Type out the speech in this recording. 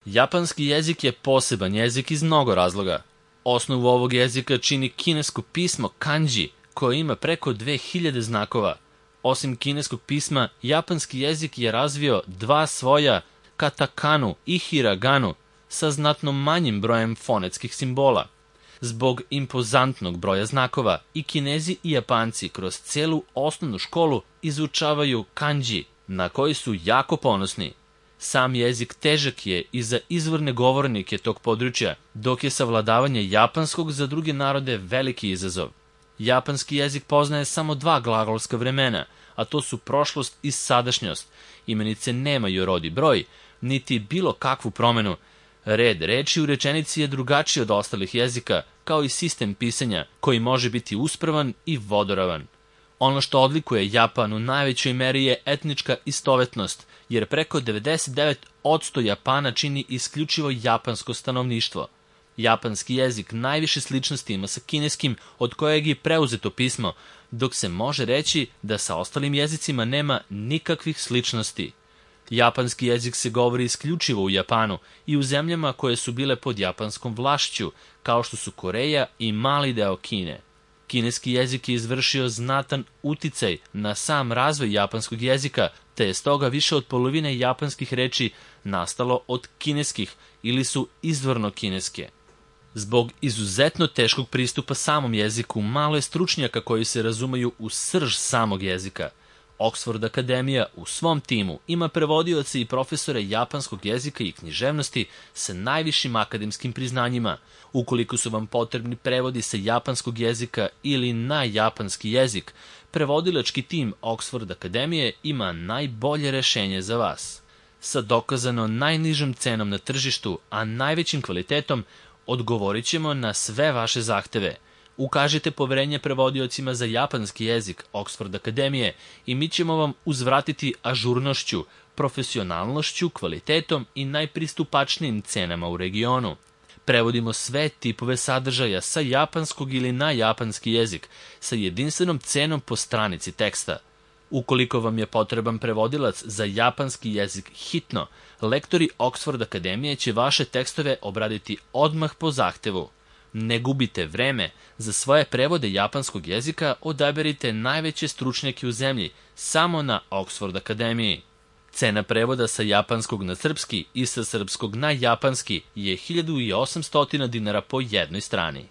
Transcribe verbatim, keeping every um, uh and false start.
Japanski jezik je poseban jezik iz mnogo razloga. Osnovu ovog jezika čini kinesko pismo kanji, koje ima preko dve hiljade znakova. Osim kineskog pisma, japanski jezik je razvio dva svoja katakanu i hiraganu sa znatno manjim brojem fonetskih simbola. Zbog impozantnog broja znakova i Kinezi i Japanci kroz celu osnovnu školu izučavaju kanji, na koji su jako ponosni. Sam jezik težak je i za izvorne govornike tog područja, dok je savladavanje japanskog za druge narode veliki izazov. Japanski jezik poznaje samo dva glagolska vremena, a to su prošlost i sadašnjost. Imenice nemaju rod i broj, niti bilo kakvu promenu. Red reči u rečenici je drugačiji od ostalih jezika, kao i sistem pisanja, koji može biti uspravan i vodoravan. Ono što odlikuje Japan u najvećoj meri je etnička istovetnost, jer preko devedeset devet posto Japana čini isključivo japansko stanovništvo. Japanski jezik najviše sličnosti ima sa kineskim, od kojeg je preuzeto pismo, dok se može reći da sa ostalim jezicima nema nikakvih sličnosti. Japanski jezik se govori isključivo u Japanu i u zemljama koje su bile pod japanskom vlašću, kao što su Koreja i mali deo Kine. Kineski jezik je izvršio znatan uticaj na sam razvoj japanskog jezika, te je stoga više od polovine japanskih reči nastalo od kineskih ili su izvorno kineske. Zbog izuzetno teškog pristupa samom jeziku, malo je stručnjaka koji se razumeju u srž samog jezika. Oxford Akademija u svom timu ima prevodioce i profesore japanskog jezika i književnosti sa najvišim akademskim priznanjima. Ukoliko su vam potrebni prevodi sa japanskog jezika ili na japanski jezik, prevodilački tim Oxford Akademije ima najbolje rešenje za vas. Sa dokazano najnižom cenom na tržištu, a najvećim kvalitetom, odgovorit ćemo na sve vaše zahteve. Ukažite poverenje prevodiocima za japanski jezik Oxford Akademije i mi ćemo vam uzvratiti ažurnošću, profesionalnošću, kvalitetom i najpristupačnijim cenama u regionu. Prevodimo sve tipove sadržaja sa japanskog ili na japanski jezik sa jedinstvenom cenom po stranici teksta. Ukoliko vam je potreban prevodilac za japanski jezik hitno, lektori Oxford Akademije će vaše tekstove obraditi odmah po zahtevu. Ne gubite vreme, za svoje prevode japanskog jezika odaberite najveće stručnjake u zemlji samo na Oxford Akademiji. Cena prevoda sa japanskog na srpski i sa srpskog na japanski je hiljadu osamsto dinara po jednoj strani.